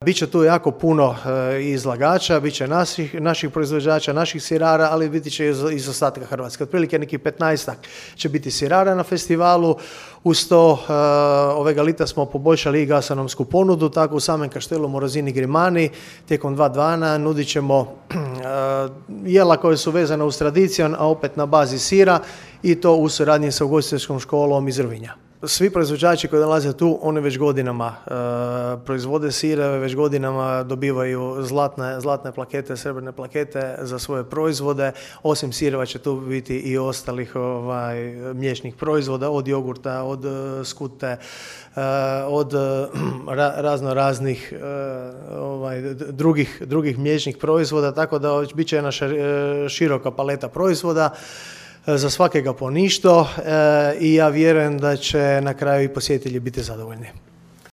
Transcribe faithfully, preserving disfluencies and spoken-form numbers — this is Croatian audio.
Biće tu jako puno e, izlagača, bit će naših, naših proizvođača, naših sirara, ali biti će iz, iz ostatka Hrvatske. Otprilike nekih petnaestak će biti sirara na festivalu. Uz to e, ovega lita smo poboljšali i gastronomsku ponudu, tako u samom Kaštelu Morozini Grimani tijekom dva dana nudit ćemo e, jela koje su vezane uz tradicijon, a opet na bazi sira i to u suradnji sa ugostiteljskom školom iz Rovinja. Svi proizvođači koji dolaze tu, oni već godinama e, proizvode sire, već godinama dobivaju zlatne, zlatne plakete, srebrne plakete za svoje proizvode. Osim sireva će tu biti i ostalih ovaj, mliječnih proizvoda, od jogurta, od uh, skute, uh, od uh, ra, razno raznih uh, ovaj, drugih, drugih mliječnih proizvoda, tako da bit će jedna široka paleta proizvoda. Za svakega po ništo e, i ja vjerujem da će na kraju i posjetitelji biti zadovoljni.